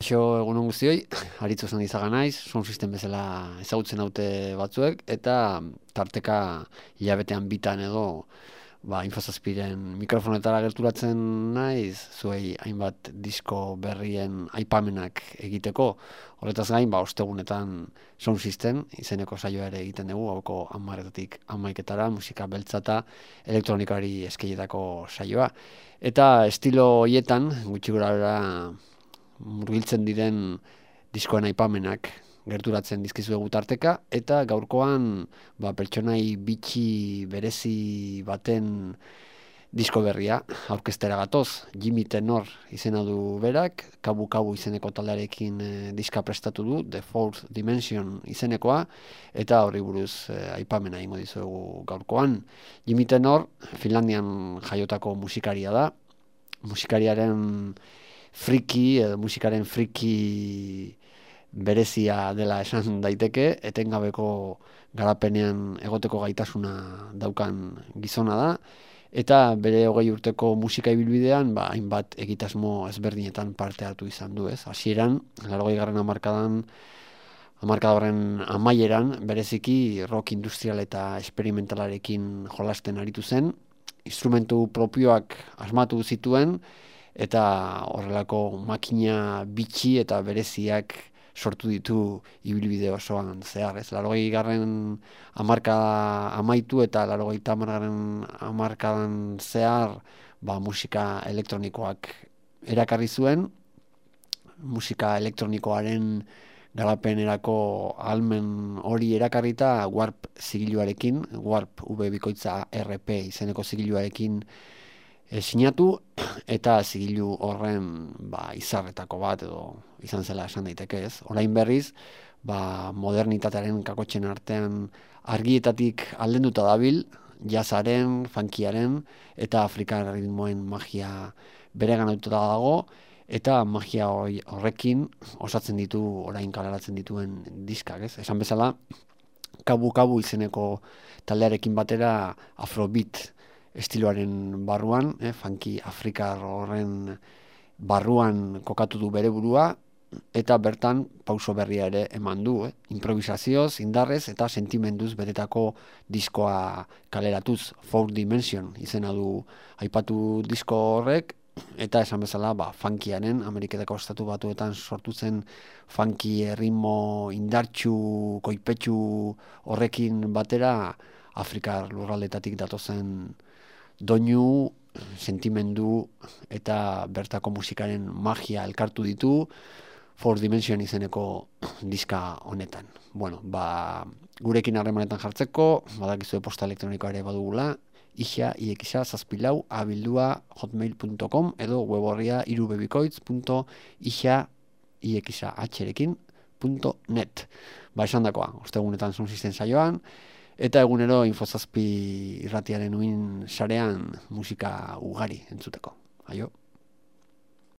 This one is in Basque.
Kaixo egunon guztioi, Aritz Osan izaga naiz, sound system bezala ezagutzen haute batzuek, eta tarteka hilabetean bitan edo Infozazpiren mikrofonetara gerturatzen naiz, zuei hainbat disko berrien aipamenak egiteko. Horretaz gain, ostegunetan sound system izeneko saioa ere egiten dugu, hauko 10:00-tik 11:00 musika beltza eta elektronikari eskeietako saioa. Eta estilo hoietan, gutxi gorabehera murgiltzen diren diskoen aipamenak gerturatzen dizkizuegu tarteka, eta gaurkoan pertsonai bitxi berezi baten disko berria aurkeztera gatoz. Jimmy Tenor izena du berak, Kabu Kabu izeneko taldearekin diska prestatu du, The Fourth Dimension izenekoa, eta horri buruz aipamena egingo dizuegu gaurkoan. Jimmy Tenor Finlandian jaiotako musikaria da, musikariaren musikaren friki berezia dela esan daiteke, etengabeko garapenean egoteko gaitasuna daukan gizona da, eta bere 20 urteko musika ibilbidean hainbat egitasmo ezberdinetan parte hartu izan du, ez? Hasieran, 80. hamarkada horren amaieran, bereziki rock industrial eta esperimentalarekin jolasten aritu zen, instrumentu propioak asmatu zituen, eta horrelako makina bitxi eta bereziak sortu ditu ibilbide osoan zehar, ez? 80. hamarkada amaitu eta 80. hamarkadan zehar musika elektronikoak erakarri zuen, musika elektronikoaren garapenerako ahalmen hori erakarrita Warp zigiluarekin, Warp V_RP izeneko zigiluarekin sinatu, eta zigilu horren izarretako bat edo izan zela esan daiteke, ez? Orain berriz, modernitatearen kakotxen artean argietatik aldenduta dabil, jazzaren, funkiaren eta afrikar ritmoen magia bereganatuta dago, eta magia horrekin osatzen ditu orain kaleratzen dituen diskak, ez? Esan bezala, Kabu Kabu izeneko taldearekin batera Afrobeat estiloaren barruan, funky afrikar horren barruan kokatu du bere burua, eta bertan pauso berria ere eman du, improvisazioz, indarrez eta sentimenduz betetako diskoa kaleratuz. Fourth Dimension izena du aipatu disko horrek, eta esan bezala funkiaren, Ameriketako estatu batuetan sortu zen funky ritmo indartsu, koipetsu horrekin batera Afrikar lurraldetatik datozen doinu, sentimendu eta bertako musikaren magia elkartu ditu Fourth Dimension izeneko diska honetan. Gurekin harremanetan jartzeko, badakizue posta elektronikoa ere badugula, ixia_sabildua@hotmail.com edo web orria irubebikoitz.ixia_net. Esan dakoa, ostegunetan sound system saioan, eta egunero Infozazpi irratiaren uin sarean musika ugari entzuteko. Aio!